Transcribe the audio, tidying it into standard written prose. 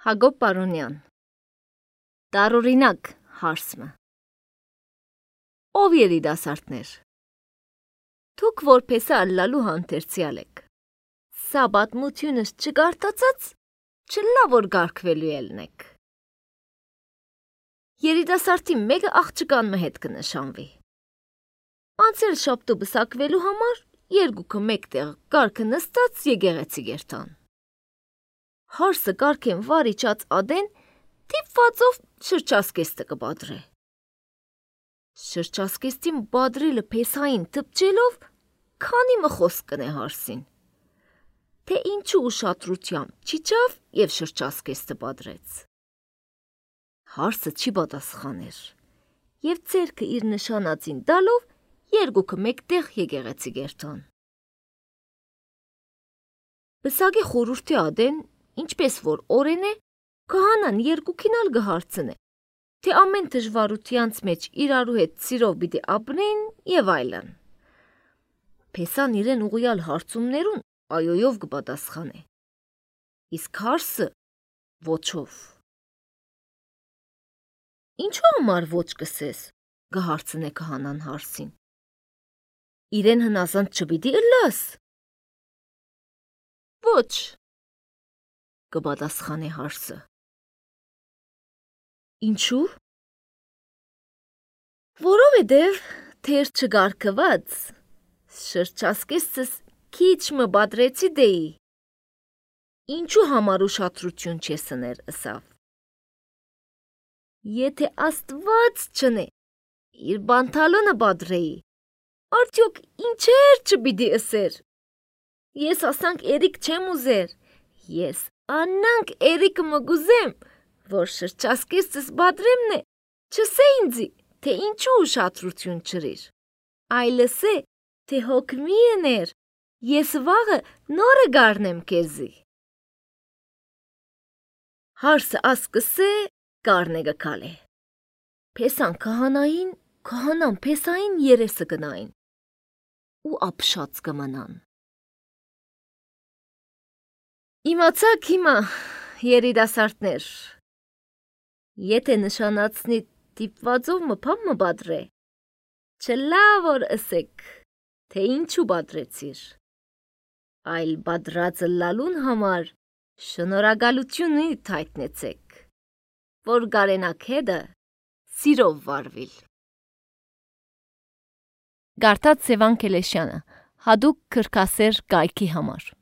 Հակոբ Պարոնյան Տարօրինակ հարցը Ով երիտասարդներ Դուք որպես ալլալու հանդերձյալ եք Սա պատմությունս չգարտացած չլա որ գարկվելու ելնեք Երիտասարդի մեկը աղջկան հետ կնշանվի Անցել շաբթու բսակվելու համար երկուքը մեկտեղ կարգը նստած եկեղեցի գերտան Հարսը կարգեն վարիչած ադեն տիպվածով շրջասկեստը կբադրե Շրջասկեստին բադրելը փեսային տպչելով քանի մխոս կնե հարսին Թե ինչու ուշադրությամբ չիջավ եւ շրջասկեստը բադրեց Հարսը չի պատասխաներ եւ ձերքը իր նշանածին տալով երկուքը մեկտեղ եկեղեցի գերտան Բսակի խորհրդի ադեն Ինչպես որ օրեն է, քահանան երկուքին ալ գհարցնե, թե ամեն դժվարությանց մեջ իրարու հետ սիրով պիտի ապրեն եւ այլն։ Փեսան իրեն ուղիալ հարցումներուն այոյով կպատասխանե։ Իսկ հարսը ոչով։ Ինչու համար ոչ կսես, գհարցնե քահանան հարսին։ Իրեն հնազանդ չպիտի ըլլաս։ Ոչ կպատասխանե հարսը Ինչու Որովհետև թեր չգարկված շրջասկեստս քիչ մը բադրեցի դեի Ինչու համար ուշադրություն չեսներ ըսավ Եթե Աստված չնե իր բանտալոնը բադրեի արդյոք ինչեր չպիտի ըսեր Ես ասանք երիկ չեմ ուզեր Ես Անանք երիկը մգուզեմ, որ շրջասկեստս բադրեմն է, չսե ինձի, թե ինչու ուշադրություն չրիր, այլս է, թե հոգմի եներ, ես վաղը նորը գարնեմ կեզի։ Հարսը ասկսե գարնե գկալ է, պեսան կահանային, կահանան պեսային երեսը գնային, ու ապշած կմնան։ Իմացակ հիմա, երիտասարդներ, եթե նշանացնի տիպվածով մփամ մբադրե, չլա որ ըսեք, թե ինչու բադրեցիր, այլ բադրածը լալուն համար շնորհակալություն հայտնեցեք, որ գարենակ հետը սիրով վարվիլ։ Գարտած Սևան Քելեշյանը, հադուկ քրքասեր կայքի համար